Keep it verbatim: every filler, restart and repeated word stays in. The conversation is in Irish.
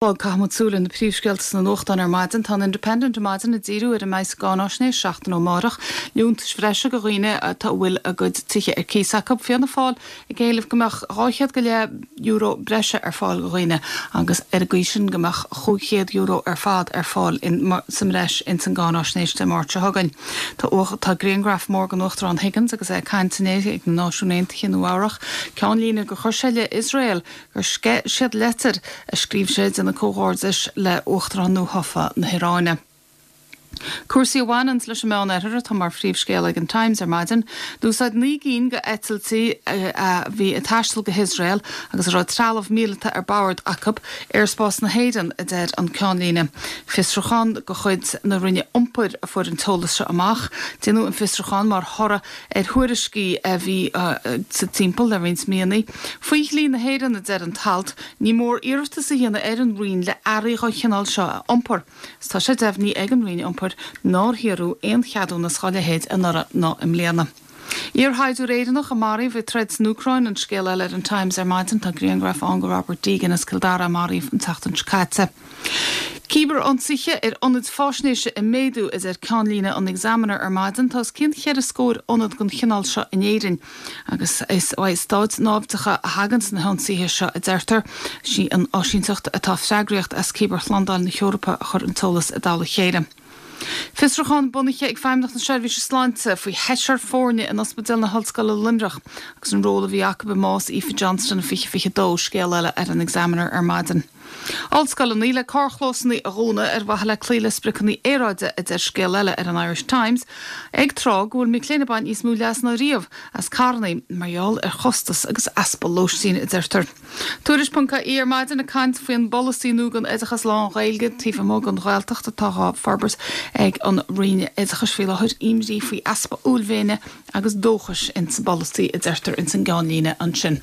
Caithfimid súil ar na príomhscéalta sna nuachtáin ar maidin. Tá an Independent ar maidin ag díriú ar a mbeidh sa gcáináisnéis seachtain ó amárach, liúntais bhreise do dhaoine atá a bhfuil a gcuid tithe ar cíos acu. Fianna Fáil ag éileamh go mbeadh dhá chéad go leith euro breise ar fáil do dhaoine agus ar an gcaoi sin go mbeadh chúig chéad euro ar fad ar fáil sa mbreis ins an gcáináisnéis Dé Máirt seo chugainn. Tá tá grianghraf mór den Uachtarán Higgins agus é ag caint inné ag na Náisiúin Aontaithe i Nua Eabhrac. Ceannlíne gur chuir sé i leith Iosrael gur sceith siad leitir a scríobh sé ag déanamh comhghairdis le Uachtarán nuathofa na hIaráine. Cúrsaí a bhaineanns leis an Meánoirthear atá mar phríomhscéal ag an Times ar maidin. D'úsáid naoi gcinn de eitiltí a bhí ag taisteal go hIosrael agus a raibh trealamh míleata ar bord acu aerspás na hÉireann, a deir an ceannlíne. Fiosrúchán de chuid na Roinne Iompair a fuair an t-eolas seo amach. Déanadh an fiosrúchán mar thoradh ar thuairiscí a bhí sa timpeall le roinnt míonna. Faoi dhlí na hÉireann, a deir an t-alt, ní mór iarratas a dhéanamh ar an Roinn le earraí den chineál seo a iompar. Is tá sé deimhnithe ag an Roinn Iompair nár hiarradh aon cheadúnas dá leithéid anuraidh ná i mbliana. Iarshaighdiúir Éireannach a maraíodh ag troid san Úcráin an scéal eile ar an Times ar maidin. Tá grianghraf ann de Robert Deegan as Cill Dara a maraíodh an tseachtain seo caite. Cibear-ionsaithe ar ionaid faisnéise ag méadú, a deir ceannlíne an Examiner ar maidin. Tá os cionn cheithre scór ionad den chineál seo in Éirinn agus is ó stáit naimhdeacha a thagann na hionsaithe seo, a deirtear. Sí an áisínteacht atá freagrach as cibearshlándáil na hEorpa a chuir an t-eolas i dtoll a chéile. Fiosrúchán bunaithe ag Feidhmeannacht na Seirbhíse Sláinte faoi sheisear foirne in Ospidéal na hOllscoile Luimneach agus an ról a bhí acu i mbás Aoife Johnston fiche fiche dó, scéal eile ar an Examiner ar maidin. Ollscoileanna le carrchlósanna a dhúnadh ar mhaithe le cloí le spriocanna aeráide, a deir scéal eile ar an Irish Times, ag tráth go bhfuil mic léinn ag baint níos mó leas ná riamh as carranna mar gheall ar chostas agus easpa lóistín, a deirtear. Tuairisc ponc ie ar maidin ag caint faoin bpolasaí nua don oideachas lán-Ghaeilge taobh amuigh den Ghaeltacht atá á forbairt ag an Roinn Oideachais faoi láthair. Imní faoi easpa uaillmhéine agus dóchais ins an bpolasaí, a deirtear ins an gceannlíne ansin.